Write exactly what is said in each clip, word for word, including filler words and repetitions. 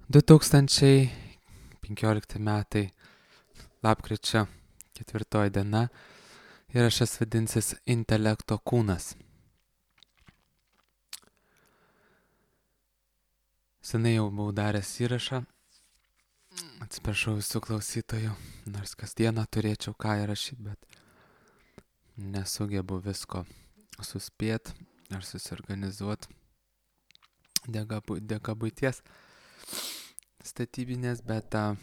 du tūkstančiai penkiolikti metai, lapkričio ketvirtoji diena, įrašas vadinsis Intelekto kūnas. Senai jau buvau daręs įrašą, atsiprašau visų klausytojų, nors kasdieną turėčiau ką įrašyti, bet nesugebu visko suspėt ar susiorganizuot dėka, dėka buities statybinės, bet a,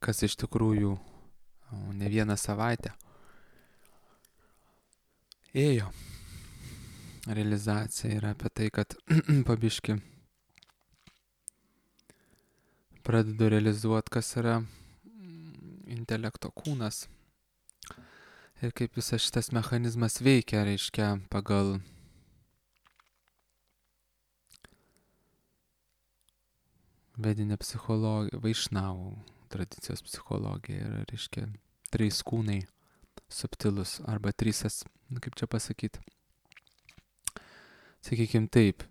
kas iš tikrųjų ne vieną savaitę ėjo. Realizacija yra apie tai, kad pabiški pradedu realizuoti, kas yra intelekto kūnas ir kaip visas šitas mechanizmas veikia, reiškia, pagal vedinę psichologiją, Vaišnavų tradicijos psichologiją ir, reiškia, trys kūnai subtilus arba trysas, kaip čia pasakyti. Sakykime taip,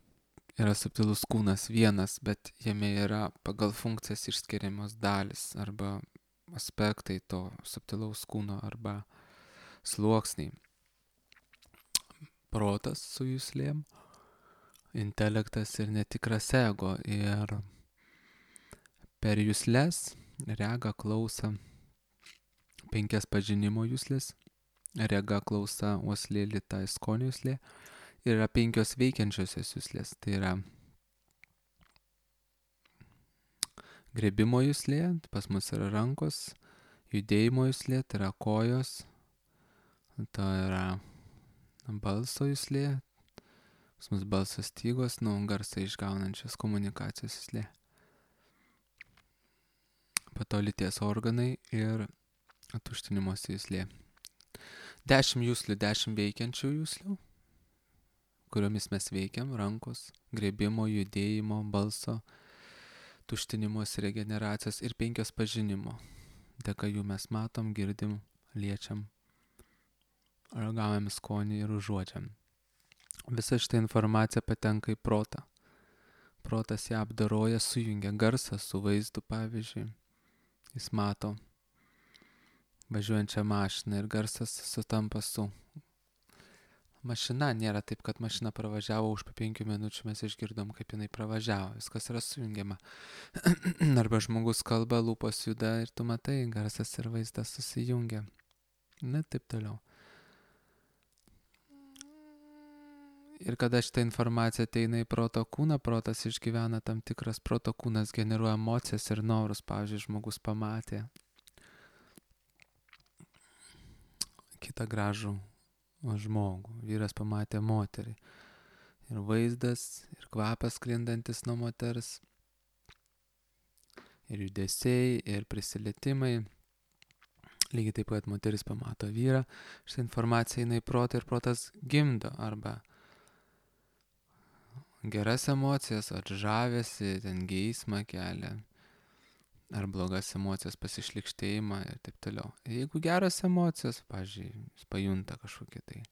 yra subtilus kūnas vienas, bet jame yra pagal funkcijas išskiriamos dalis arba aspektai to subtilaus kūno arba sluoksniai. Protas su juslėm, intelektas ir netikras ego. Ir per jusles, regą, klausą, penkias pažinimo juslės, rega, klausa, uoslė, lyta, skonio juslė. Ir yra penkios veikiančiosios juslės. Tai yra grebimo juslė, pas mus yra rankos, judėjimo juslė, tai yra kojos, tai yra balso juslė, pas mus balso stygos, nu, garsą išgaunančios komunikacijos juslė. Po to lyties organai ir tuštinimosi juslė. Dešimt juslių, dešimt veikiančių juslių, kuriomis mes veikiam, rankos, grebimo, judėjimo, balso, tuštinimos, regeneracijos ir penkios pažinimo. Dėka jų mes matom, girdim, liečiam, ragaujam skonį ir užuodžiam. Visa šita informacija patenka į protą. Protas ją apdaroja, sujungia garsą su vaizdu, pavyzdžiui. Jis mato važiuojančią mašiną ir garsas sutampa su mašina. Nėra taip, kad mašina pravažiavo, už po penkių minučių mes išgirdom, kaip jinai pravažiavo. Viskas yra sujungiama. Arba žmogus kalba, lūpos juda ir tu matai, garsas ir vaizdas susijungia. Na, taip toliau. Ir kada šitą informaciją ateina į proto kūną, protas išgyvena tam tikras, proto kūnas generuoja emocijas ir norus. Pavyzdžiui, žmogus pamatė kitą gražų žmogų, vyras pamatė moterį. Ir vaizdas, ir kvapas sklindantis nuo moters, ir judesiai, ir prisilietimai. Lygiai taip pat moteris pamato vyrą, šitą informaciją eina į protą ir protas gimdo arba geras emocijas, ar žavesi, ten geismą kelia, ar blogas emocijas, pasišlikštėjimą ir taip toliau. Jeigu geras emocijas, pavyzdžiui, jis pajunta kažkokį tai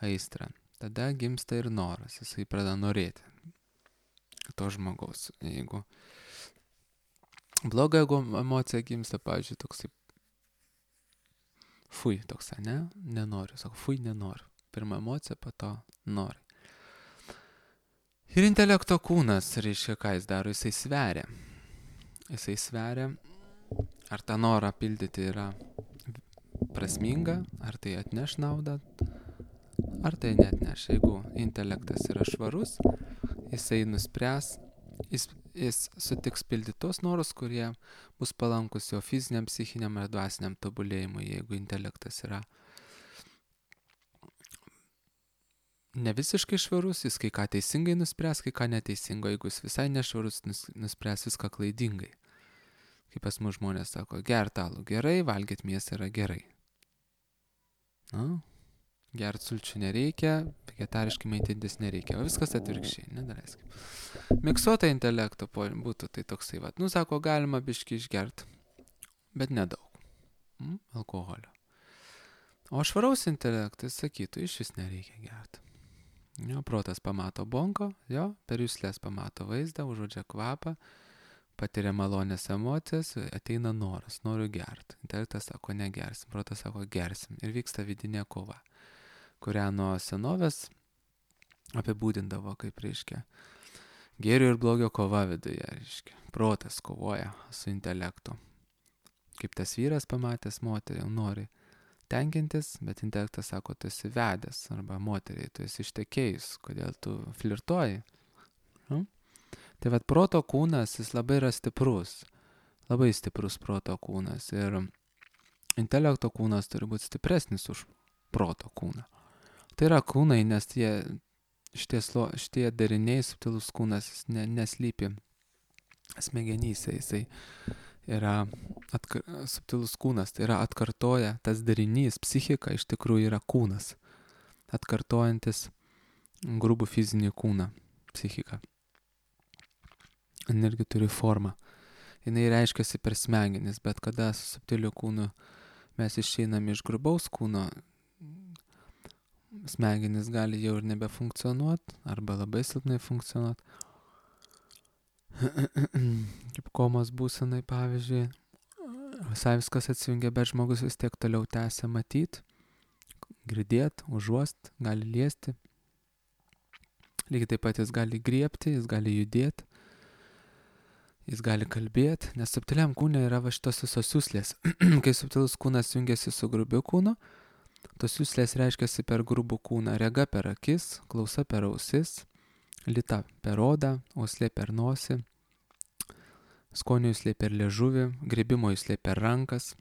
aistrą, tada gimsta ir noras, jisai pradeda norėti to žmogaus. Jeigu bloga emocija gimsta, pavyzdžiui, toksai fui, toks, ne, nenoriu, sako, fui, nenoriu. Pirma emocija, po to nori. Ir intelekto kūnas, reiškia, ką jis daro, jisai sveria. Jisai sveria, ar tą norą pildyti yra prasminga, ar tai atneš naudą, ar tai neatneš. Jeigu intelektas yra švarus, jisai nuspręs, jis, jis sutiks pildyti tos norus, kurie bus palankus jo fiziniam, psichiniam ar dvasiniam tobulėjimui. Jeigu intelektas yra ne visiškai švarus, jis kai ką teisingai nuspręs, kai ką neteisingo. Jeigu jis visai nešvarus, nuspręs viską klaidingai. Kaip pas mus žmonės sako, gert alų gerai, valgyt mėsą yra gerai. Nu, gert sulčių nereikia, vegetariškai maitintis nereikia, o viskas atvirkščiai, nedaleiskim. Miksuota intelekto būtų tai toksai, vat, nu, sako, galima biškį išgert, bet nedaug. Mm, alkoholio. O švaraus intelektas sakytų, iš vis nereikia gert. Jo, protas pamato bongo, jo, per juslės pamato vaizdą, užuodžia kvapą, patiria malonės emocijas, ateina noras, noriu gerti. Intelektas sako, negersim, protas sako, gersim. Ir vyksta vidinė kova, kurią nuo senovės apibūdindavo kaip, reiškia, gėrio ir blogio kova viduje, reiškia. Protas kovoja su intelektu. Kaip tas vyras pamatęs moterį, nori tenkintis, bet intelektas sako, tu esi vedęs, arba moteriai, tu esi ištekėjus, kodėl tu flirtuoji. Nu? Tai vad proto kūnas, jis labai yra stiprus, labai stiprus proto kūnas ir intelekto kūnas turi būti stipresnis už proto kūną. Tai yra kūnai, nes tie, šitie, slo, šitie dariniai, subtilus kūnas, jis ne, neslypi smegenyse, jisai yra atkar, subtilus kūnas, tai yra atkartoja tas darinys, psichika iš tikrųjų yra kūnas, atkartojantis grubų fizinį kūną, psichika. Jis irgi turi formą. Jinai reiškiasi per smegenis, bet kada su subtiliu kūnu mes išeiname iš grubaus kūno, smegenis gali jau ir nebefunkcionuoti, arba labai silpnai funkcionuoti. Kaip komos būsenai, pavyzdžiui, visai viskas atsijungia, bet žmogus vis tiek toliau tęsia matyti, girdėti, užuosti, gali liesti. Lygiai taip pat jis gali griebti, jis gali judėti, jis gali kalbėti, nes subtiliam kūne yra va šitos visos juslės. Kai subtilus kūnas jungiasi su grubiu kūnu, tos juslės reiškiasi per grubų kūną, rega per akis, klausa per ausis, lyta per odą, uoslė per nosį, skonio juslė per liežuvį, gribimo juslė per rankas,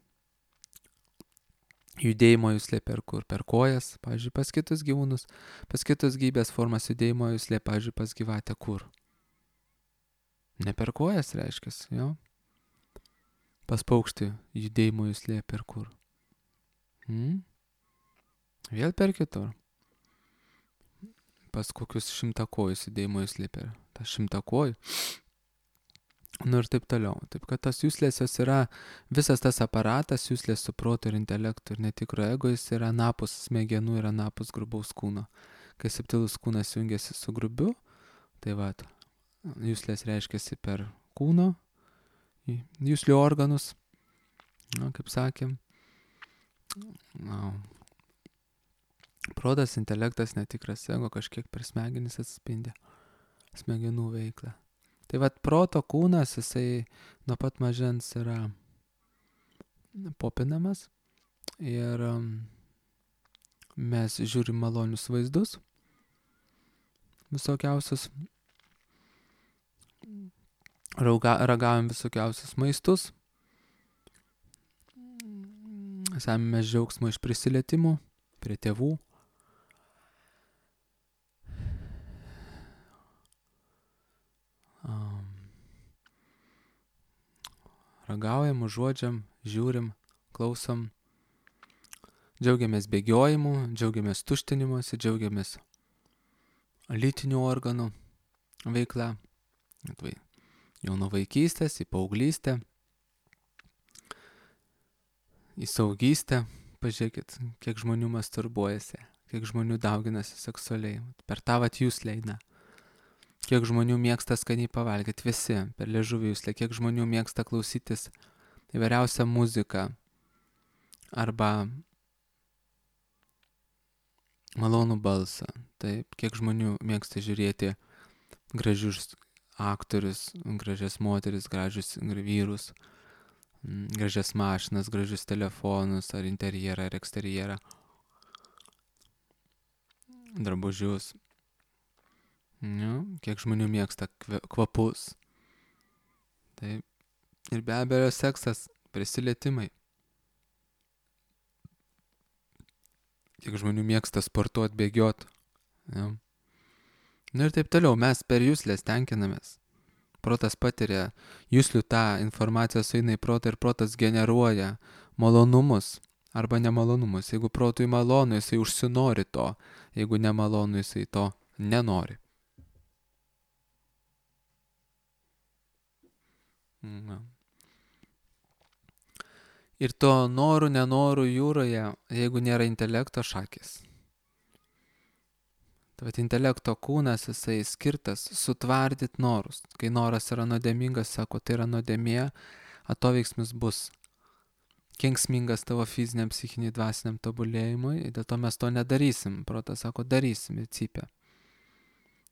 judėjimo juslė per kur, per kojas, pavyzdžiui, pas kitus gyvūnus, pas kitus gyvybės formas judėjimo juslė, pavyzdžiui, pas gyvatę kur. Ne per kojas reiškiasi, jo. Pas paukštį judėjimo juslė per kur. Hmm? Vėl per kitur. Pas kokius šimtakojus judėjimo juslė per tą šimtakojų. Nu ir taip toliau. Taip kad tos juslės jos yra, visas tas aparatas, juslės su protu ir intelektu ir netikro ego, jis yra anapus smegenų ir anapus grubaus kūno. Kai subtilus kūnas jungiasi su grubiu, tai va, juslės reiškiasi per kūno, juslių organus, na, kaip sakėm. Na, protas, intelektas, netikras ego kažkiek per smegenis atspindi smegenų veiklą. Tai vat proto kūnas, jisai nuo pat mažens yra popinamas ir mes žiūrim malonius vaizdus, visokiausius, rauga, ragaujam visokiausius maistus, semimės džiaugsmo iš prisilietimų prie tėvų. Um, ragaujam, užuodžiam, žiūrim, klausom, džiaugiamės bėgiojimu, džiaugiamės tuštinimuose, džiaugiamės lytinių organų veikla, jau nuo vaikystės į paauglystę, į saugystę. Pažiūrėkit, kiek žmonių masturbuojasi, kiek žmonių dauginasi seksualiai, per tą vat juslę eina. Kiek žmonių mėgsta skaniai pavalgyti, visi per liežuvį juslę, kiek žmonių mėgsta klausytis įvairiausią muziką arba malonų balsą. Taip, kiek žmonių mėgsta žiūrėti gražius aktorius, gražias moteris, gražius vyrus, gražias mašinas, gražius telefonus, ar interjerą, ar eksterjerą, drabužius. Nu, kiek žmonių mėgsta kvapus. Taip. Ir be abejo seksas, prisilietimai. Kiek žmonių mėgsta sportuoti, bėgioti. Ja. Nu ir taip toliau, mes per juslės tenkinamės. Protas patiria juslių tą informaciją, sueina į protą ir protas generuoja malonumus arba nemalonumus. Jeigu protui malonu, jisai užsinori to. Jeigu nemalonu, jisai to nenori. Na. Ir to norų, nenorų jūroje, jeigu nėra intelekto, šakės. Tai vat intelekto kūnas, jisai skirtas sutvardyt norus. Kai noras yra nuodėmingas, sako, tai yra nuodėmė, atoveiksmis bus kenksmingas tavo fiziniam, psichiniai, dvasiniam tobulėjimui, dėl to mes to nedarysim. Protas sako, darysim ir cypia.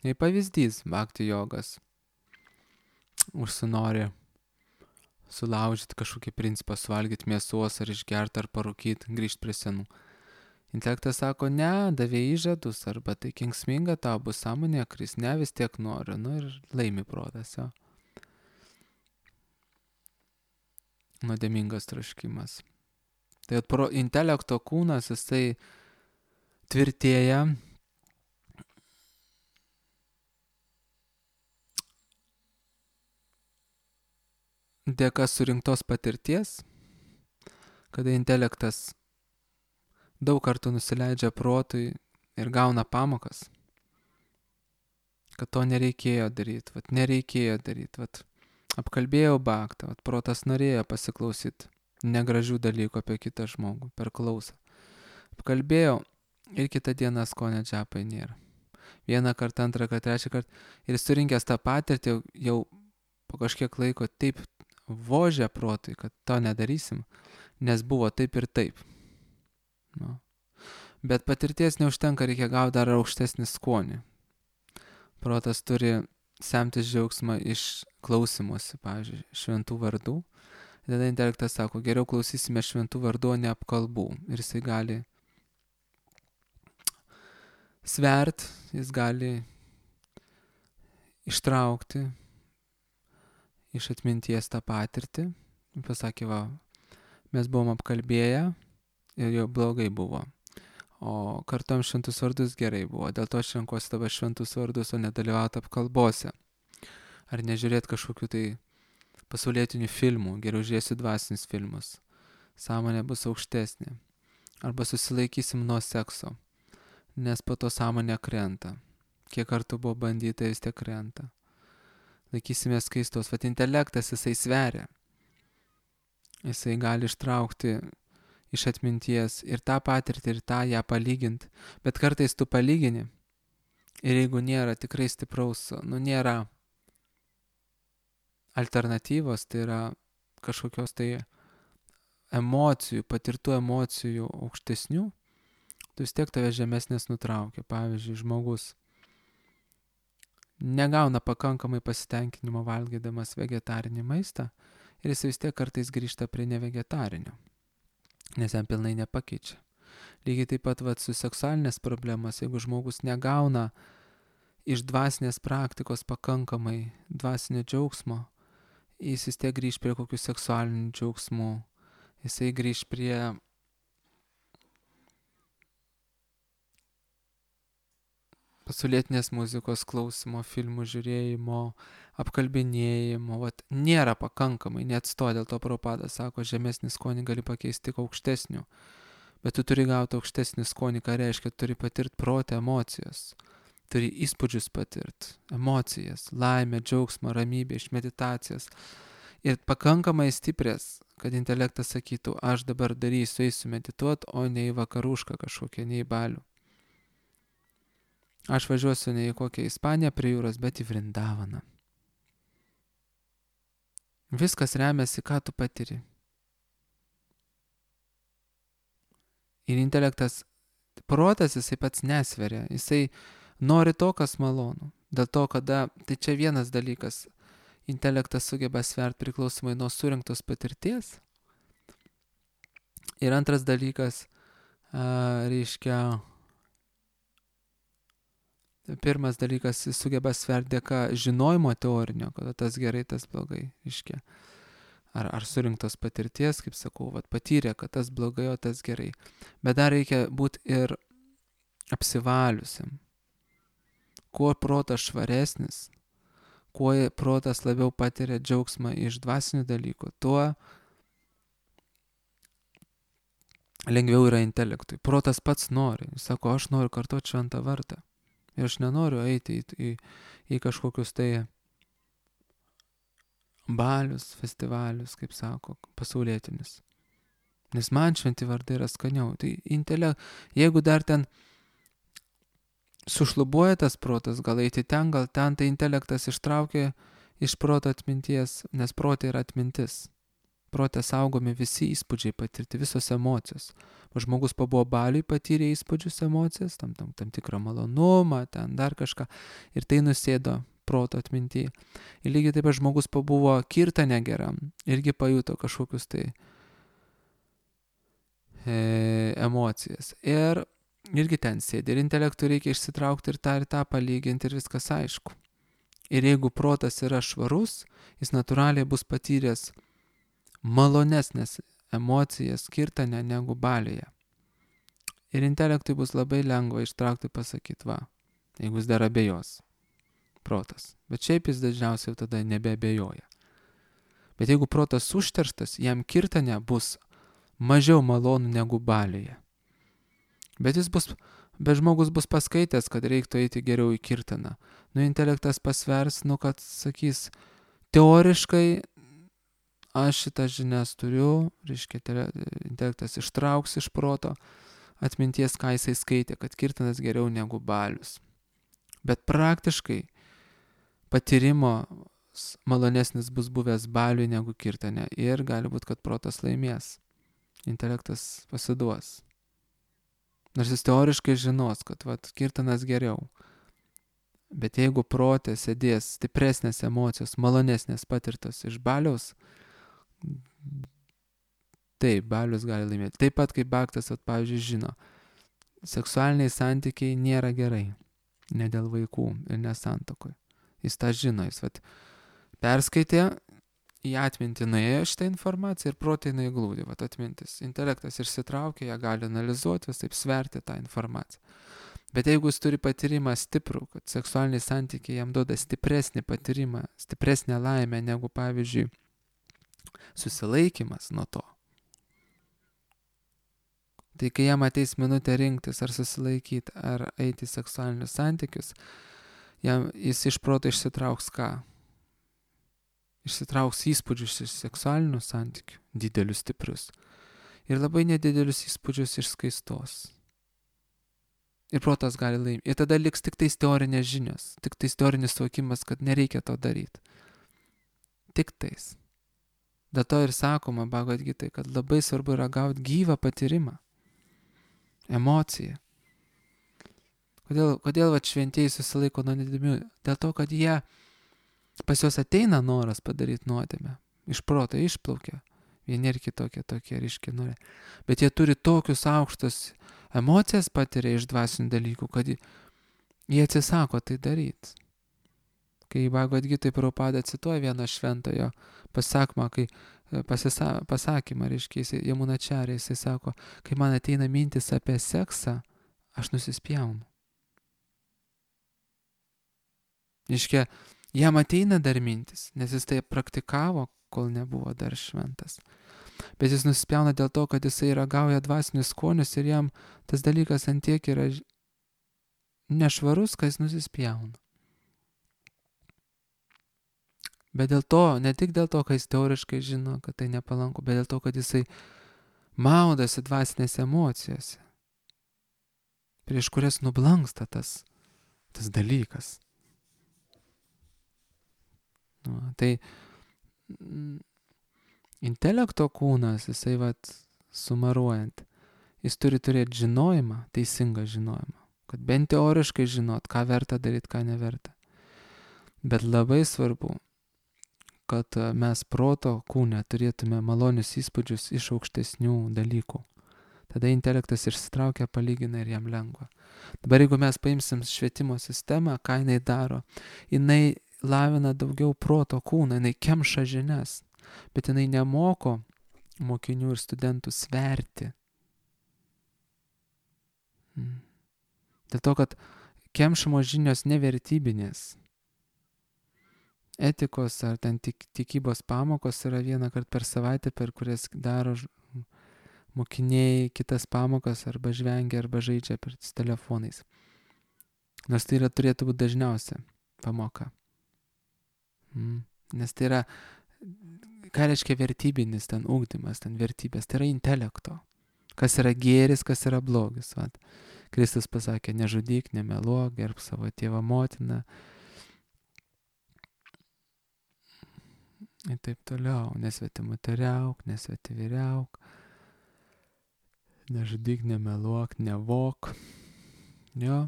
Jei pavyzdys, bhakti jogas užsinori sulaužyti kažkokį principą, suvalgyti mėsos ar išgerti ar parūkyti, grįžti prie senų. Intelektas sako, ne, davė įžadus, arba tai kenksminga, tau bus sąmonė kris, ne, vis tiek noriu, nu ir laimi protas, jo. Nuodėmingas troškimas. Tai pro intelekto kūnas, jisai tvirtėja dėka surinktos patirties, kada intelektas daug kartų nusileidžia protui ir gauna pamokas, kad to nereikėjo daryti, vat nereikėjo daryti, vat apkalbėjau baktą, vat protas norėjo pasiklausyti negražių dalykų apie kitą žmogų per klausą. Apkalbėjau ir kitą dieną skonio džapai nėra. Vieną kartą, antrą kartą, trečią kartą ir surinkęs tą patirtį jau, jau po kažkiek laiko taip vožė protui, kad to nedarysim, nes buvo taip ir taip. Nu. Bet patirties neužtenka, reikia gauti dar aukštesnį skonį. Protas turi semtis džiaugsmą iš klausimuose, pavyzdžiui, šventų vardų. Tada intelektas sako, geriau klausysime šventų vardų, o ne apkalbų. Ir jisai gali svert, jis gali ištraukti iš atminties tą patirtį. Pasakė, va, mes buvom apkalbėję ir jau blogai buvo. O kartuom šventus vardus gerai buvo. Dėl to aš renkuosi dabar šventus vardus, o nedalyvauti apkalbose. Ar nežiūrėti kažkokių tai pasaulietinių filmų, geriau žiūrėsiu dvasinius filmus. Sąmonė bus aukštesnė. Arba susilaikysim nuo sekso, nes po to sąmonė krenta. Kiek kartų buvo bandyta, vis tiek krenta. Laikysime skaistos. Vat intelektas jisai sveria. Jisai gali ištraukti iš atminties ir tą patirtį, ir tą ją palyginti. Bet kartais tu palygini. Ir jeigu nėra tikrai stipraus, nu nėra alternatyvos, tai yra kažkokios tai emocijų, patirtų emocijų aukštesnių, tu vis tiek tave žemesnės nutraukia. Pavyzdžiui, žmogus negauna pakankamai pasitenkinimo valgydamas vegetarinį maistą ir jis vis tiek kartais grįžta prie nevegetarinio, nes jam pilnai nepakeičia. Lygiai taip pat vat, su seksualinės problemas, jeigu žmogus negauna iš dvasinės praktikos pakankamai dvasinio džiaugsmo, jis vis tiek grįž prie kokių seksualinių džiaugsmų, jisai grįž prie pasaulietinės muzikos klausimo, filmų žiūrėjimo, apkalbinėjimo, vat, nėra pakankamai, neatsto, dėl to Prabhupada sako, žemesnį skonį gali pakeisti tik aukštesnių, bet tu turi gauti aukštesnį skonį, ką reiškia, turi patirti protą emocijas, turi įspūdžius patirti, emocijas, laimę, džiaugsmą, ramybę iš meditacijos ir pakankamai stiprės, kad intelektas sakytų, aš dabar darysiu, eisiu medituoti, o ne į vakarušką kažkokią, ne į balių. Aš važiuosiu ne į kokią Ispaniją prie jūros, bet į Vrindavaną. Viskas remiasi, ką tu patiri. Ir intelektas, protas jisai pats nesveria, jisai nori to, kas malonu. Dėl to, kada, tai čia vienas dalykas, intelektas sugeba svert priklausomai nuo surinktos patirties. Ir antras dalykas, a, reiškia, pirmas dalykas, jis sugeba sverti dėka žinojimo teorinio, kada tas gerai, tas blogai, reiškia. Ar, ar surinktos patirties, kaip sakau, vat, patyrė, kad tas blogai, o tas gerai. Bet dar reikia būti ir apsivaliusiam. Kuo protas švaresnis, kuo protas labiau patiria džiaugsmą iš dvasinių dalykų, tuo lengviau yra intelektui. Protas pats nori. Jis sako, aš noriu kartoti šventą vartą. Ir aš nenoriu eiti į, į, į kažkokius tai balius, festivalius, kaip sako, pasaulietinis. Nes man šventi vardai yra skaniau. Tai intelekt, jeigu dar ten sušlubuoja tas protas, gal eiti ten, gal ten, tai intelektas ištraukia iš proto atminties, nes protė yra atmintis. Protė saugomi visi įspūdžiai patirti, visos emocijos. O žmogus pabuvo baliui, patyrė įspūdžius, emocijas, tam, tam, tam tikrą malonumą, ten dar kažką, ir tai nusėdo proto atmintyje. Ir lygiai taip pat žmogus pabuvo kirtane geram, irgi pajuto kažkokius tai e, emocijas. Ir irgi ten sėdi, ir intelektų reikia išsitraukti ir tą ir tą palyginti, ir viskas aišku. Ir jeigu protas yra švarus, jis natūraliai bus patyręs malonesnės emocijas kirtane negu balėje. Ir intelektui bus labai lengva ištraukti, pasakyti, va, jeigu jis dar abejos protas. Bet šiaip jis dažniausiai tada nebeabejoja. Bet jeigu protas užterštas, jam kirtane bus mažiau malonu negu balėje. Bet jis bus, bet žmogus bus paskaitęs, kad reiktų eiti geriau į kirtaną. Nu, intelektas pasvers, nu, kad sakys, teoriškai aš šitas žinias turiu, reiškia, intelektas ištrauks iš proto atminties, ką jisai skaitė, kad kirtanas geriau negu balius. Bet praktiškai patyrimo malonesnis bus buvęs baliui negu kirtane ir gali būti, kad protas laimės. Intelektas pasiduos. Nors jis teoriškai žinos, kad vat, kirtanas geriau. Bet jeigu protė sėdės stipresnės emocijos, malonesnės patirtos iš baliaus, taip, balius gali laimėti. Taip pat kaip Baktas, vat, pavyzdžiui, žino, seksualiniai santykiai nėra gerai. Ne dėl vaikų ir nesantuokoj. Jis tą žino, jis vat, perskaitė, į atmintį nuėjo šitą informaciją ir protai jinai glūdi, vat, atmintis. Intelektas išsitraukia, ją gali analizuoti, vis taip sverti tą informaciją. Bet jeigu jis turi patyrimą stiprų, kad seksualiniai santykiai jam duoda stipresnį patyrimą, stipresnę laimę negu, pavyzdžiui, susilaikimas nuo to. Tai kai jam ateis minutė rinktis, ar susilaikyti, ar eiti į seksualinius santykius, jam, jis iš proto išsitrauks ką? Išsitrauks įspūdžius iš seksualinių santykių, didelius, stiprius, ir labai nedidelius įspūdžius iš skaistos. Ir protas gali laimėti. Ir tada liks tik tais teorinės žinios, tik tais teorinis suvokimas, kad nereikia to daryti. Tik tais. Dėl to ir sakoma Bhagavad Gitai, kad labai svarbu yra gauti gyvą patyrimą, emociją. Kodėl, kodėl va, šventieji susilaiko nuo nuodėmių? Dėl to, kad jie, pas juos ateina noras padaryti nuodėmę. Iš proto išplaukia. Vieni ir kitokie tokie ryškiai nori. Bet jie turi tokius aukštus emocijas patiria iš dvasinių dalykų, kad jie atsisako tai daryti. Kai Bhagavad Gitai Prabhupada cituoja vieną šventojo pasakymą, kai pasisa, pasakymą, reiškia, Jamunačarė, jisai sako, kai man ateina mintis apie seksą, aš nusispjaunu. Reiškia, jam ateina dar mintis, nes jis tai praktikavo, kol nebuvo dar šventas. Bet jis nusispjauna dėl to, kad jisai ragauja dvasinius skonius ir jam tas dalykas ant tiek yra nešvarus, kad jis nusispjauna. Bet dėl to, ne tik dėl to, kad jis teoriškai žino, kad tai nepalanku, bet dėl to, kad jisai maudasi dvasinėse emocijose, prieš kurias nublanksta tas, tas dalykas. Nu, tai mm, intelekto kūnas, jisai vat sumaruojant, jis turi turėti žinojimą, teisingą žinojimą, kad bent teoriškai žinot, ką verta daryti, ką neverta. Bet labai svarbu, kad mes proto kūne turėtume malonius įspūdžius iš aukštesnių dalykų. Tada intelektas išsitraukia, palygina ir jam lengva. Dabar jeigu mes paimsim švietimo sistemą, ką jinai daro, jinai lavina daugiau proto kūną, jinai kemša žinias, bet jinai nemoko mokinių ir studentų sverti. Dėl to, kad kemšamos žinios nevertybinės. Etikos ar ten tik, tikybos pamokos yra vieną kartą per savaitę, per kurias daro mokiniai kitas pamokas arba žvengia arba žaidžia per telefonais. Nors tai yra, turėtų būti dažniausia pamoka. Mm. Nes tai yra, ką reiškia vertybinis ten ugdymas, ten vertybės, tai yra intelekto. Kas yra gėris, kas yra blogis. Vat. Kristus pasakė, nežudyk, nemeluok, gerbk savo tėvą motiną. Ir taip toliau, nesvetimutariauk, nesvetiviriauk, nežudyk, nemeluok, nevok. Jo,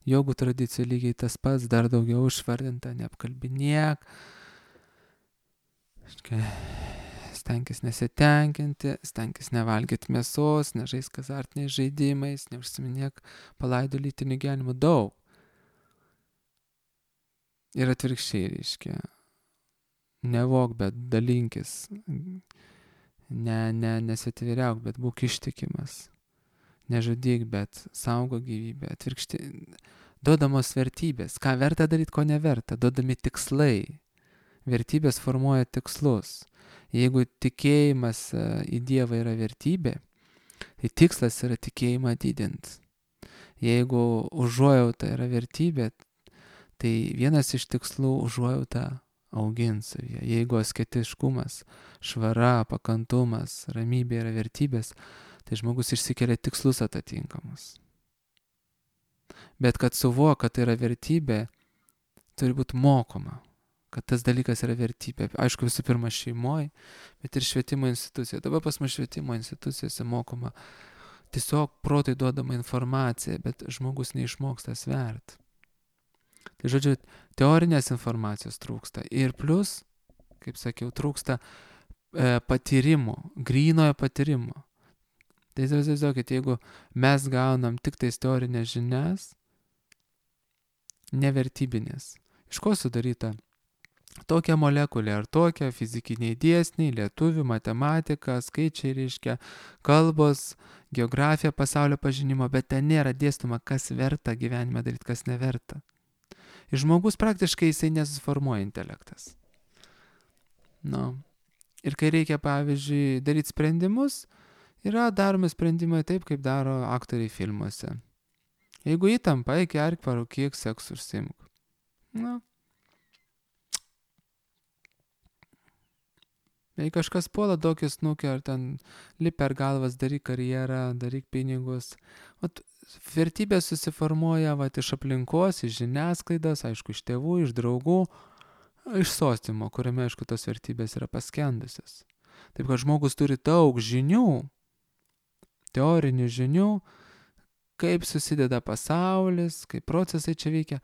jogų tradicijų lygiai tas pats, dar daugiau išvardinta, neapkalbinėk. Stenkis nesitenkinti, stenkis nevalgyti mėsos, nežaisk azartiniais žaidimais, neužsiminėk palaidų lytinių gyvenimų, daug. Ir atvirkščiai, reiškia, nevok, bet dalinkis, ne, ne, nesvetiviriauk, bet būk ištikimas, nežudyk, bet saugo gyvybę, atvirkščiai, duodamos vertybės, ką verta daryti, ko neverta, duodami tikslai, vertybės formuoja tikslus. Jeigu tikėjimas į Dievą yra vertybė, tai tikslas yra tikėjimą didinti. Jeigu užuojauta yra vertybė, tai vienas iš tikslų užuojautą auginti savyje. Jeigu asketiškumas, švara, pakantumas, ramybė yra vertybės, tai žmogus išsikelia tikslus atitinkamus. Bet kad suvok, kad tai yra vertybė, turi būti mokoma. Kad tas dalykas yra vertybė. Aišku, visų pirma šeimoje, bet ir švietimo institucijoje. Dabar pas mus švietimo institucijose mokoma tiesiog protai duodama informacija, bet žmogus neišmoksta svert. Tai žodžiu, teorinės informacijos trūksta. Ir plus, kaip sakiau, trūksta e, patyrimo, grynojo patyrimo. Tai įsivaizduokit, jeigu mes gaunam tik tais teorinės žinias, nevertybinės. Iš ko sudaryta? Tokia molekulė ar tokia fizikiniai dėsniai, lietuvių, matematika, skaičiai reiškia, kalbos, geografija, pasaulio pažinimo, bet ten nėra dėstoma, kas verta gyvenime daryti, kas neverta. Ir žmogus praktiškai jisai nesuformuoja intelektas. Nu. Ir kai reikia, pavyzdžiui, daryti sprendimus, yra daromi sprendimai taip, kaip daro aktoriai filmuose. Jeigu įtampa, eik gerk, parūkyk, seksu užsiimk. Nu. Jei kažkas puola daug įsnukio, ar ten lip per galvas, daryk karjerą, daryk pinigus. O vertybės susiformuoja vat, iš aplinkos, iš žiniasklaidos, aišku, iš tėvų, iš draugų, iš sostimo, kuriame, aišku, tos vertybės yra paskendusios. Taip, kad žmogus turi daug žinių, teorinių žinių, kaip susideda pasaulis, kaip procesai čia veikia,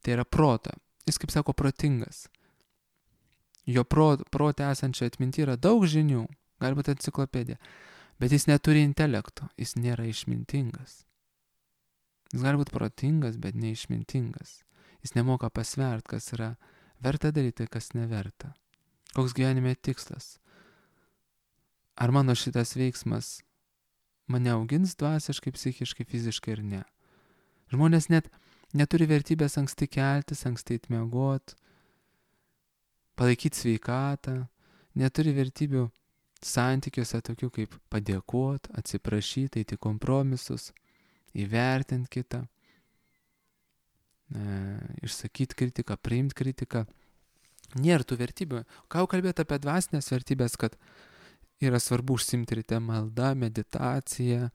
tai yra prota. Jis, kaip sako, protingas. Jo prote pro esančio atminti yra daug žinių, galbūt enciklopedija, bet jis neturi intelekto, jis nėra išmintingas. Jis gali būti protingas, bet neišmintingas. Jis nemoka pasvert, kas yra verta daryti, kas neverta. Koks gyvenime tikslas? Ar mano šitas veiksmas mane augins dvasiškai, psichiškai, fiziškai ir ne? Žmonės net neturi vertybės anksti keltis, anksti miegot, palaikyti sveikatą, neturi vertybių santykiuose tokių kaip padėkot, atsiprašyti, eiti kompromisus, įvertinti kitą, e, išsakyti kritiką, priimti kritiką. Nėra tų vertybių. Ką jau kalbėti apie dvasinės vertybės, kad yra svarbu užsimti ryte malda, meditacija,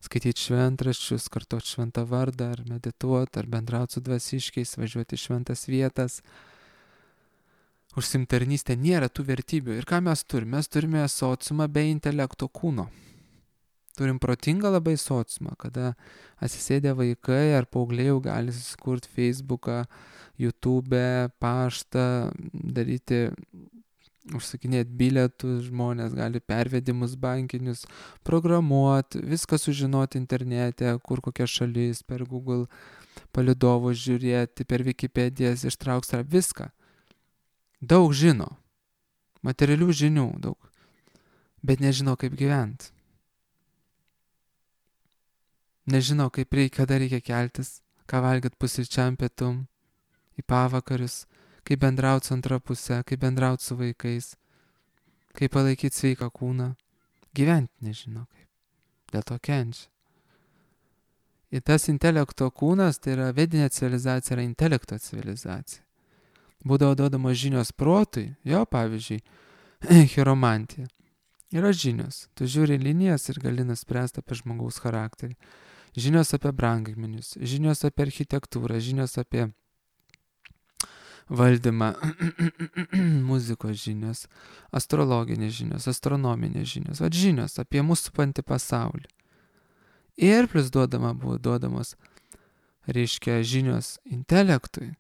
skaityti šventraščius, kartoti šventą vardą, ar medituoti, ar bendrauti su dvasiškiais, važiuoti į šventas vietas. Užsimtarnystė nėra tų vertybių. Ir ką mes turime? Mes turime sociumą be intelekto kūno. Turim protingą labai sociumą, kada atsisėdę vaikai ar paaugliai jau gali susikurti Facebooką, YouTube, paštą, daryti, užsakinėti bilietus, žmonės gali pervedimus bankinius, programuoti, viską sužinoti internete, kur kokia šalis, per Google palydovus žiūrėti, per Wikipedijas ištraukti viską. Daug žino, materialių žinių daug, bet nežino, kaip gyventi. Nežino, kaip reikia, kada reikia keltis, ką valgyti pusryčiam, pietum, į pavakarius, kaip bendrauti su antra puse, kaip bendrauti su vaikais, kaip palaikyti sveiką kūną. Gyventi nežino kaip, dėl to kenčia. Ir tas intelekto kūnas, tai yra vedinė civilizacija, yra intelekto civilizacija. Būdavo duodamos žinios protui, jo pavyzdžiui, chiromantija. Yra žinios, tu žiūri linijas ir gali nuspręsti apie žmogaus charakterį. žinios apie brangakmenius, žinios apie architektūrą, žinios apie valdymą, muzikos žinios, astrologinės žinios, astronominės žinios, vat žinios apie mūsų supantį pasaulį. Ir plus duodama buvo duodamos, reiškia, žinios intelektui.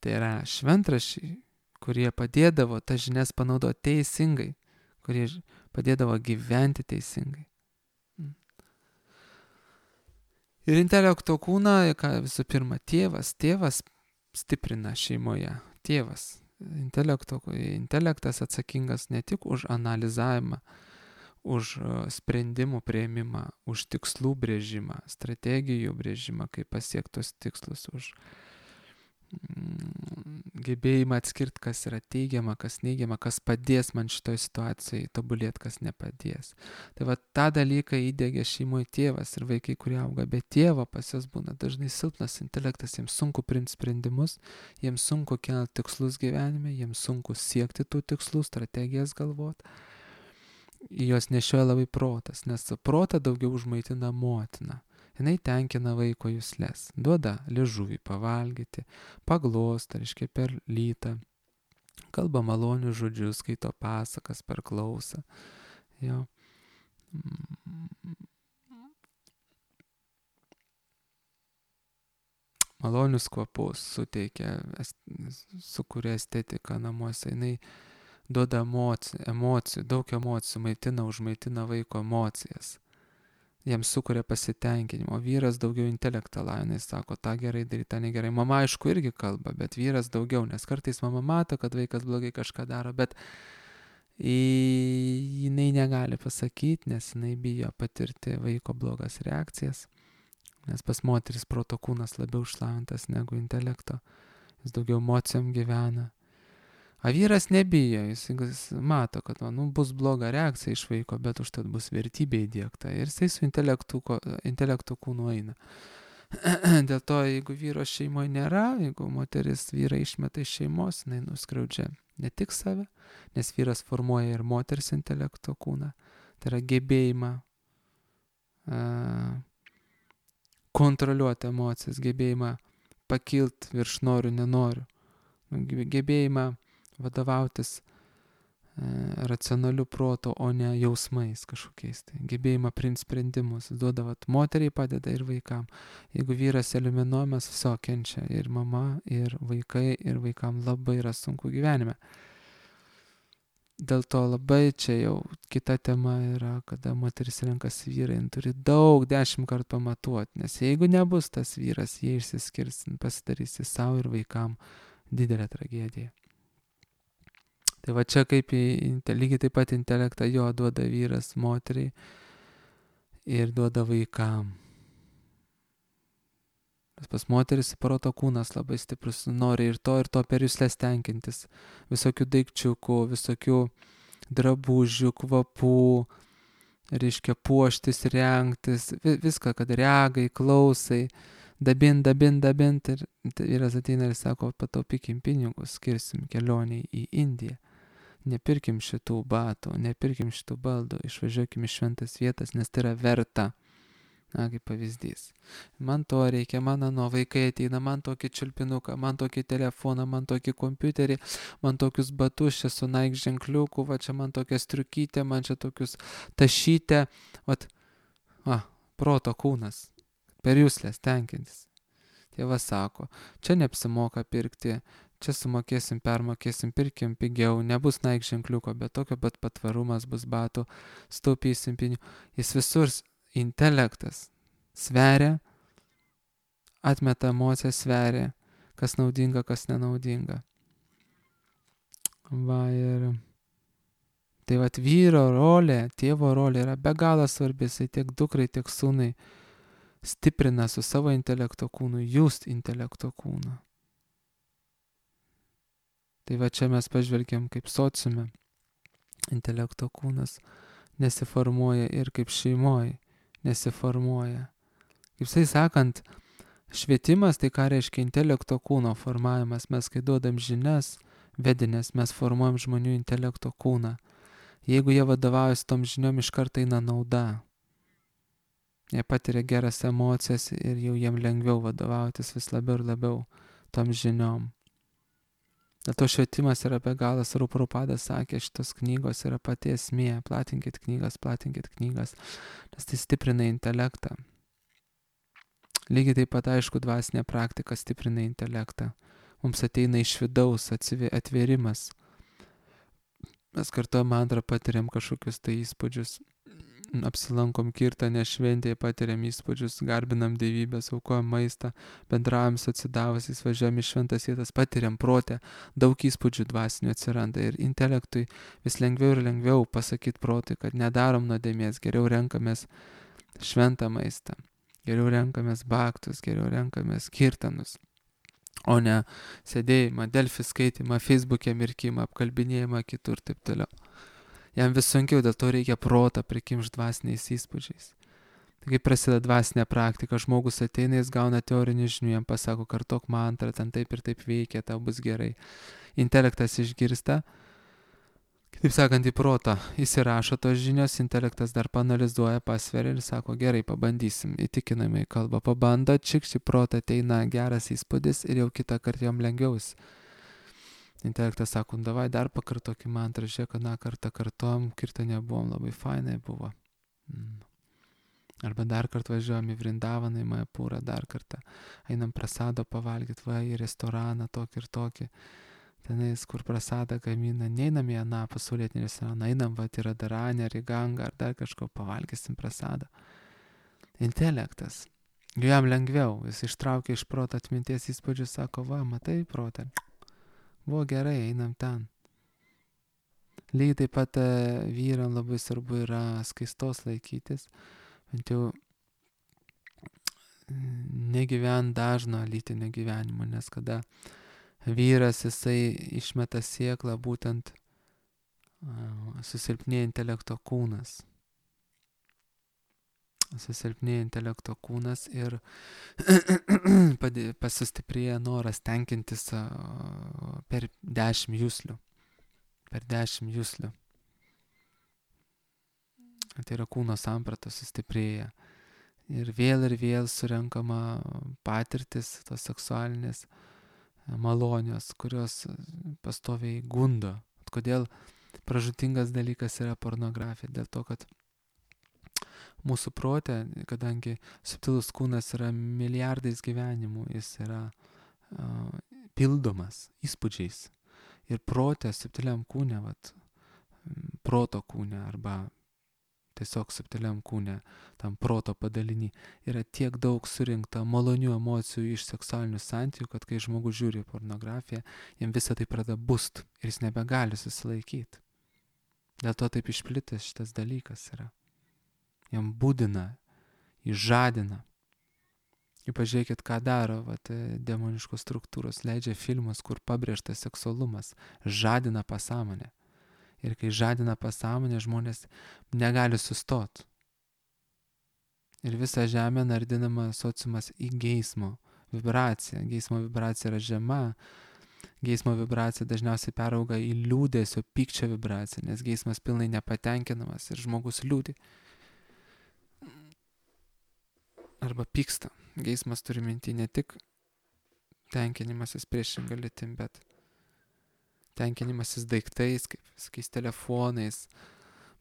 Tai yra šventraščiai, kurie padėdavo tas žinias panaudoti teisingai, kurie padėdavo gyventi teisingai. Ir intelekto kūną, ką visų pirma, tėvas, tėvas stiprina šeimoje, tėvas. Intelekto, intelektas atsakingas ne tik už analizavimą, už sprendimų priėmimą, už tikslų brėžimą, strategijų brėžimą, kaip pasiektos tikslus, už gebėjimą atskirti, kas yra teigiama, kas neigiama, kas padės man šitoj situacijai tobulėti, kas nepadės. Tai va tą dalyką įdėgė šeimoje tėvas ir vaikai, kurie auga be tėvo, pas jos būna dažnai silpnas intelektas, jiems sunku priimti sprendimus, jiems sunku kelti tikslus gyvenime, jiems sunku siekti tų tikslų, strategijas galvoti. Jos nešioja labai protas, nes protą daugiau užmaitina motina. Jinai tenkina vaiko juslės, duoda liežuvį pavalgyti, paglosta, reiškia per lytą, kalba malonius žodžius, skaito pasakas per klausą. Jo. Malonius kvapus suteikia, sukuria estetiką namuose, jinai duoda emocijų, emocijų, daug emocijų, maitina, užmaitina vaiko emocijas. Jiems sukuria pasitenkinimo. Vyras daugiau intelektą lavinai, sako, tą gerai daryti, tą negerai. Mama aišku irgi kalba, bet vyras daugiau, nes kartais mama mato, kad vaikas blogai kažką daro, bet jinai negali pasakyti, nes jinai bijo patirti vaiko blogas reakcijas, nes pas moteris proto kūnas labiau išlavintas negu intelekto, jis daugiau emocijom gyvena. O vyras nebijo, jis, jis mato, kad nu, bus bloga reakcija iš vaiko, bet užtat bus vertybė įdiegta. Ir jisai su intelektu, intelektu kūnu eina. Dėl to, jeigu vyro šeimoje nėra, jeigu moteris vyrą išmeta iš šeimos, jinai nuskriaudžia ne tik save, nes vyras formuoja ir moters intelekto kūną. Tai yra gebėjimą uh, kontroliuoti emocijas, gebėjimą pakilti virš noriu, nenoriu, gebėjimą vadovautis e, racionaliu protu, o ne jausmais kažkokiais. Tai gebėjimą priimti sprendimus. Duoda, vat, moteriai padeda ir vaikam. Jeigu vyras eliminuojamas, viso kenčia ir mama, ir vaikai, ir vaikam labai yra sunku gyvenime. Dėl to labai čia jau kita tema yra, kada moteris renkasi vyrą, jin turi daug, dešimt kartų pamatuoti, nes jeigu nebus tas vyras, jie išsiskirs, pasidarysi savo ir vaikam didelę tragediją. Tai va čia kaip į, lygiai taip pat intelektą jo duoda vyras moteriai ir duoda vaikam. Pas moteris proto kūnas labai stiprus, nori ir to, ir to per juslės tenkintis. Visokių daikčiukų, visokių drabužių, kvapų, reiškia puoštis, rengtis, viską, kad regai, klausai, dabint, dabint, dabint. Ir vyras ateina ir sako, pataupykim pinigus, skirsim kelioniai į Indiją. Nepirkim šitų batų, nepirkim šitų baldų, išvažiuokim į šventas vietas, nes tai yra verta. Na, kaip pavyzdys. Man to reikia, man ano vaikai ateina, man tokį čiulpinuką, man tokį telefoną, man tokį kompiuterį, man tokius batus čia su Nike ženkliuku, va čia man tokia striukytė, man čia tokius tašytę, vat, va, proto kūnas, per juslės tenkintis. Tėvas sako, čia neapsimoka pirkti, čia sumokėsim, permokėsim, pirkim pigiau, nebus Nike ženkliuko, bet tokio pat patvarumas bus batų, staupysim pinigų. Jis visur intelektas sveria, atmeta emociją, sveria, kas naudinga, kas nenaudinga. Va ir tai vat vyro rolė, tėvo rolė yra be galo svarbi, jisai tiek dukrai, tiek sūnai stiprina su savo intelekto kūnu, just intelekto kūną. Tai va čia mes pažvelgiam kaip sociume, intelekto kūnas nesiformuoja ir kaip šeimoje nesiformuoja. Kaip sai sakant, švietimas tai ką reiškia intelekto kūno formavimas. Mes kai duodam žinias, vedinės, mes formuojam žmonių intelekto kūną. Jeigu jie vadovaujasi tom žiniom, iš karto eina nauda. Jie patiria geras emocijas ir jau jiem lengviau vadovautis vis labiau ir labiau tom žiniom. Dėl to švietimas yra be galo svarbu. Prabhupadas sakė, šitos knygos yra pati esmė. Platinkit knygas, platinkit knygas, nes tai stiprina intelektą. Lygiai taip pat, aišku, dvasinė praktika stiprina intelektą. Mums ateina iš vidaus atvėrimas. Mes kartuojam mantrą, patiriam kažkokius tai įspūdžius. Apsilankom kirtane šventėje, patiriam įspūdžius, garbinam dievybės, aukojam maistą, bendraujam su atsidavusiais, važiuojam į šventas vietas, patiriam protę, daug įspūdžių dvasinių atsiranda ir intelektui vis lengviau ir lengviau pasakyti protui, kad nedarom nuodėmės, geriau renkamės šventą maistą, geriau renkamės baktus, geriau renkamės kirtanus, o ne sėdėjimą, Delfi skaitimą, Facebook'e mirkimą, apkalbinėjimą kitur ir taip toliau. Jam vis sunkiau, dėl to reikia protą prikimšti dvasiniais įspūdžiais. Tai kai prasideda dvasinė praktika, žmogus ateina, jis gauna teorinių žinių, jam pasako, kartok mantrą, ten taip ir taip veikia, tau bus gerai. Intelektas išgirsta, kitaip sakant, į protą įsirašo tos žinios, intelektas dar panalizuoja, pasveria ir sako, gerai, pabandysim, įtikinamai kalba, pabando, čikšti protą, ateina geras įspūdis ir jau kitą kartą jam lengviaus. Intelektas sako, davai dar pakartokim mantrą, žiūrėk, aną kartą kartuom, kirtane buvom, labai fainai buvo. Mm. Arba dar kartą važiuojam į Vrindavaną, į Majapūrą, dar kartą einam prasado pavalgyti, va, į restoraną tokį ir tokį. Tenais, kur prasadą gamina, neinam į aną pasaulietinį restoraną, einam, va, į Radaranę, ar į Gangą, ar dar kažko pavalgysim prasadą. Intelektas. Jam lengviau, jis ištraukia iš proto atminties įspūdžių, sako, va, matai protą. Buvo gerai, einam ten. Lygiai taip pat vyram labai svarbu yra skaistos laikytis, bent jau negyvent dažno lytinio gyvenimo, nes kada vyras jisai išmeta sėklą, būtent susilpnėja intelekto kūnas. Susilpnėja intelekto kūnas ir pasistiprėja noras tenkintis per dešimt juslių. Per dešimt juslių. Tai yra kūno samprata sustiprėja. Ir vėl ir vėl surenkama patirtis, tos seksualinės malonios, kurios pastoviai gundo. Kodėl pražūtingas dalykas yra pornografija? Dėl to, kad mūsų prote, kadangi subtilus kūnas yra milijardais gyvenimų, jis yra uh, pildomas įspūdžiais. Ir prote, subtiliam kūne, vat, proto kūne arba tiesiog subtiliam kūne, tam proto padalinį, yra tiek daug surinkta malonių emocijų iš seksualinių santykių, kad kai žmogus žiūri pornografiją, jam visą tai pradeda bust ir jis nebegali susilaikyti. Dėl to taip išplitęs šitas dalykas yra. Jam būdina, įžadina. Ir pažiūrėkit, ką daro vat, demoniškos struktūros, leidžia filmus, kur pabrėžtas seksualumas, žadina pasąmonę. Ir kai žadina pasąmonę, žmonės negali sustot. Ir visa žemė nardinama sociumas į geismo vibraciją. Geismo vibracija yra žema. Geismo vibracija dažniausiai perauga į liūdesio, pykčio vibraciją, nes geismas pilnai nepatenkinamas ir žmogus liūdi. Arba pyksta. Geismas turi minti ne tik tenkinimasis priešinga lytim, bet tenkinimasis daiktais, kaip visokiais telefonais,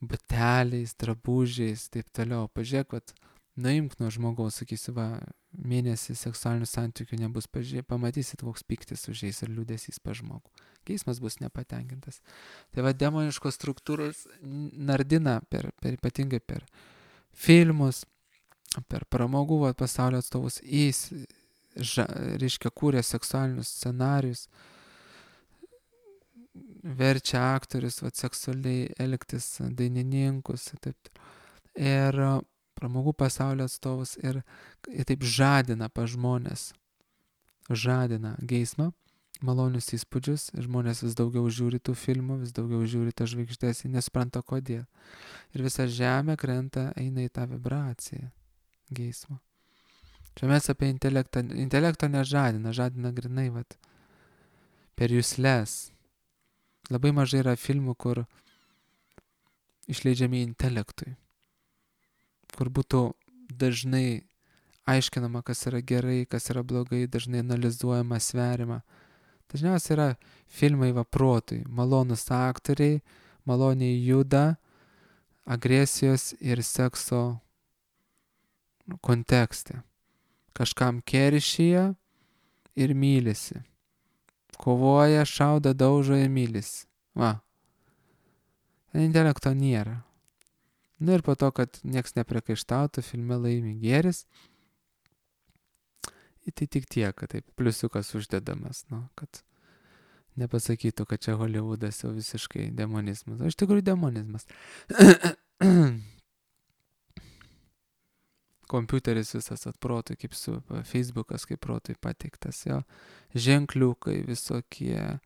bateliais, drabužiais, taip toliau. Pažiūrėk, kad nuimk nuo žmogaus, sakysi, va, mėnesį seksualinių santykių nebus, pažiūrėk, pamatysit, koks pyktis užeis ir liūdesys pa žmogų. Geismas bus nepatenkintas. Tai va, demoniškos struktūros nardina per, per ypatingai per filmus, per pramogų va, pasaulio atstovus, jis, ža, reiškia, kūrė seksualinius scenarius, verčia aktorius va, seksualiai elgtis, dainininkus, taip. Ir pramogų pasaulio atstovus ir, ir taip žadina pa žmonės, žadina geismą, malonius įspūdžius, žmonės vis daugiau žiūri tų filmų, vis daugiau žiūri tą žvaigždės, nesupranta kodėl. Ir visa žemė krenta, eina į tą vibraciją geismo. Čia mes apie intelektą, intelekto nežadina, žadina grinai, vat, per jusles. Labai mažai yra filmų, kur išleidžiami intelektui, kur būtų dažnai aiškinama, kas yra gerai, kas yra blogai, dažnai analizuojama, sveriama. Dažniausiai yra filmai va protui, malonus aktoriai, maloniai juda, agresijos ir sekso kontekste. Kažkam keršyje ir mylisi. Kovoja, šauda, daužo ir mylisi. Va. Intelekto nėra. Na ir po to, kad nieks nepriekaištautų, filme laimi gėris. Tai tik tiek, kad taip pliusiukas uždedamas, nu, kad nepasakytų, kad čia Hollywoodas jau visiškai demonizmas. O iš tikrųjų demonizmas. Kompiuteris visas atprotui, kaip su Facebookas, kaip protui pateiktas, jo. Ženkliukai visokie,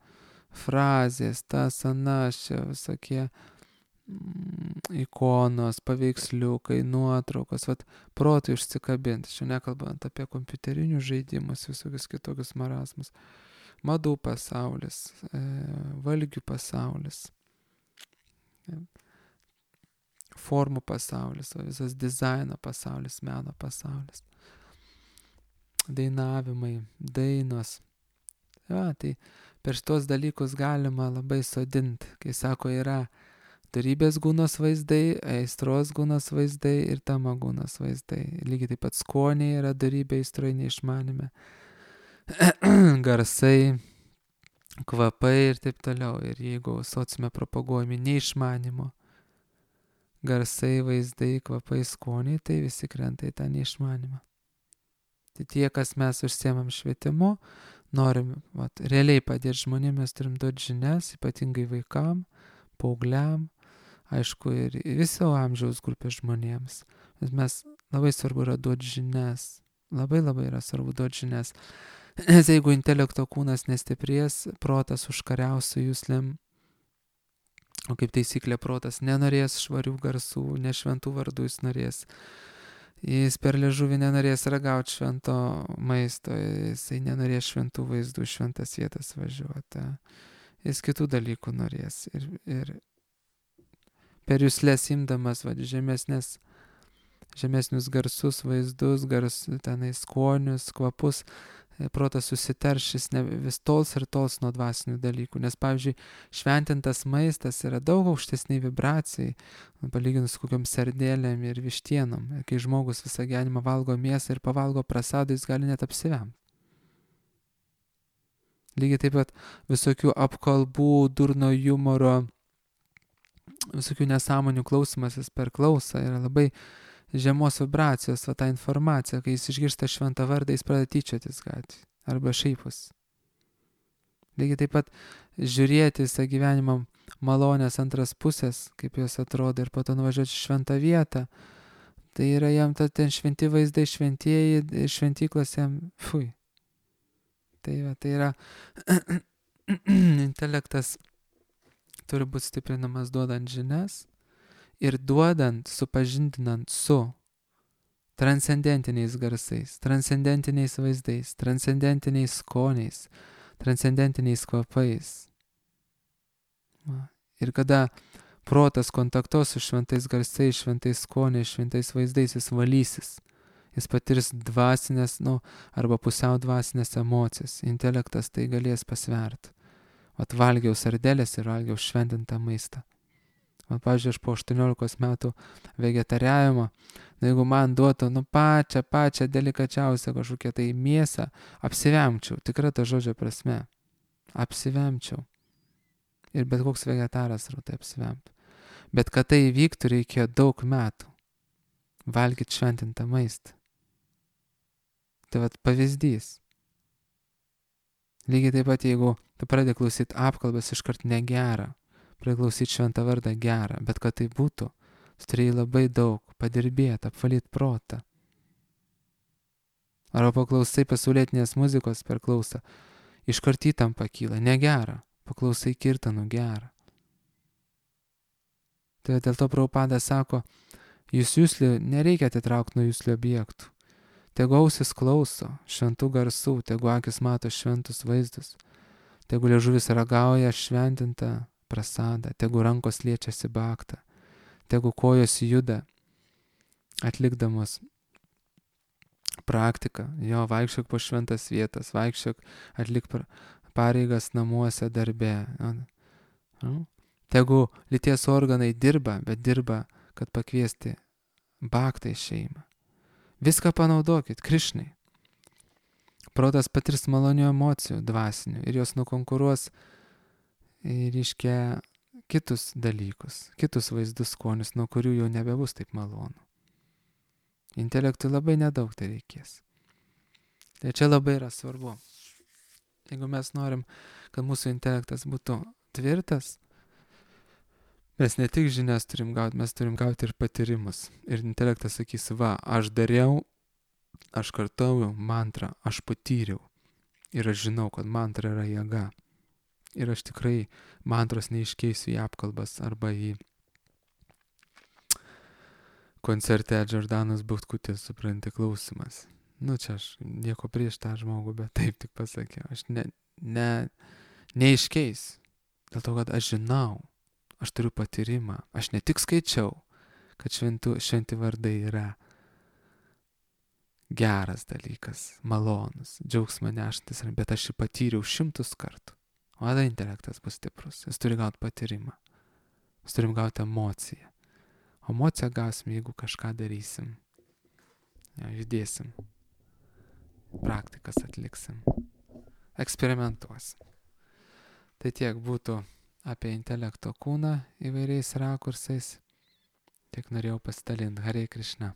frazės, tas, anas, čia visokie mm, ikonos, paveiksliukai, nuotraukos, vat protui užsikabinti. Čia nekalbant apie kompiuterinius žaidimus, visokius kitokius marazmus. Madų pasaulis, e, valgių pasaulis, e, formų pasaulis, o visas dizaino pasaulis, meno pasaulis, dainavimai, dainos. Ja, tai per šitos dalykus galima labai sodinti, kai sako, yra darybės gūnos vaizdai, aistros gūnos vaizdai ir tamo gūnos vaizdai. Lygiai taip pat skoniai yra darybė, aistroje, neišmanime. Garsai, kvapai ir taip toliau. Ir jeigu sociume propaguojami neišmanimo, garsai, vaizdai, kvapai, skoniai, tai visi krenta į tą neišmanimą. Tai tie, kas mes užsiemam švietimu, norim vat, realiai padėti žmonėms, mes turim duoti žinias, ypatingai vaikam, paaugliam, aišku, ir viso amžiaus grupės žmonėms. Bet mes labai svarbu yra duoti žinias. Labai labai yra svarbu duoti žinias. Nes jeigu intelekto kūnas nestiprės, protas užkariaus su jūslėm. O kaip taisyklė, protas nenorės švarių garsų, ne šventų vardų jis norės. Jis per liežuvį nenorės ragauti švento maisto, jisai nenorės šventų vaizdų, šventas vietas važiuoti. Jis kitų dalykų norės. Ir, ir per juslės imdamas va, žemesnės, žemesnius garsus, vaizdus, gars, tenai skonius, kvapus, protas susitaršys, ne, vis tols ir tols nuo dvasinių dalykų. Nes, pavyzdžiui, šventintas maistas yra daug aukštesniai vibracijai, palyginus su kokiom sardėlėm ir vištienom. Kai žmogus visą gyvenimą valgo mėsą ir pavalgo prasadų, jis gali net apsivemti. Lygiai taip pat visokių apkalbų, durno humoro, visokių nesąmonių klausimasis per klausą yra labai žemos vibracijos, va tą informaciją, kai jis išgirsta šventą vardą, jis pradeda tyčiotis gatvėje arba šaipus. Lygiai taip pat žiūrėti visą gyvenimą malonės antras pusės, kaip jos atrodo, ir po to nuvažiuoti šventą vietą, tai yra jam ta, ten šventi vaizdai, šventieji, šventyklos jam, fui. Tai, va, tai yra intelektas turi būti stiprinamas duodant žinias, ir duodant, supažindinant su transcendentiniais garsais, transcendentiniais vaizdais, transcendentiniais skoniais, transcendentiniais kvapais. Ir kada protas kontaktuos su šventais garsais, šventais skoniais, šventais vaizdais, jis valysis. Jis patirs dvasinės, nu, arba pusiau dvasinės emocijas. Intelektas tai galės pasverti. Vat valgiau sardelės ir valgiau šventintą maistą. Man, pavyzdžiui, aš po aštuoniolikos metų vegetariavimo, na, jeigu man duotų, nu, pačią, pačią delikačiausią kažkokią tai mėsą, apsivemčiau, tikra ta žodžio prasme, apsivemčiau. Ir bet koks vegetaras rūtai apsivemtų. Bet kad tai įvyktų, reikėjo daug metų valgyti šventintą maistą. Tai vat pavyzdys. Lygiai taip pat, jeigu tu pradedi klausyti apkalbas, iškart negera, priklausyti šventą vardą gerą, bet kad tai būtų, tu turėjai labai daug padirbėti, apvalyti protą. Arba paklausai pasaulietinės muzikos per klausą, iškart įtampa kyla, negera, paklausai kirtanų gerą. Tai dėl to Prabhupada sako, jūs jūslį nereikia atitraukti nuo jūslio objektų. Tegu ausis klauso šventų garsų, tegu akis mato šventus vaizdus, tegu liežuvis ragauja šventintą prasadą, tegu rankos liečiasi baktą, tegu kojos juda, atlikdamos praktika. Jo, vaikščiok po šventas vietas, vaikščiok, atlik pareigas namuose, darbe. Nu, tegu lyties organai dirba, bet dirba, kad pakviesti baktą į šeimą. Viską panaudokit, Krišnai. Protas patirs malonių emocijų, dvasinių, ir jos nukonkuruos, reiškia, kitus dalykus, kitus vaizdus, skonius, nuo kurių jau nebebus taip malonu. Intelektui labai nedaug tai reikės. Tai čia labai yra svarbu. Jeigu mes norim, kad mūsų intelektas būtų tvirtas, mes ne tik žinias turim gauti, mes turim gauti ir patyrimus. Ir intelektas sakys, va, aš dariau, aš kartojau mantrą, aš patyriau. Ir aš žinau, kad mantra yra jėga. Ir aš tikrai mantros neiškeisiu į apkalbas arba į koncerte Džordanos Butkutės, supranti, klausimas. Nu, čia aš nieko prieš tą žmogų, bet taip tik pasakiau. Aš ne, ne, neiškeis. Dėl to, kad aš žinau, aš turiu patyrimą. Aš ne tik skaičiau, kad šventų, šventi vardai yra geras dalykas, malonus, džiaugsmą neštantis, bet aš jį patyriau šimtus kartų. O tada intelektas bus stiprus. Jis turi gauti patyrimą. Jis turim gauti emociją. O emociją gausim, jeigu kažką darysim. Ja, judėsim. Praktikas atliksim. Eksperimentuosim. Tai tiek būtų apie intelekto kūną įvairiais rakursais. Tiek norėjau pasidalinti. Hare Krishna.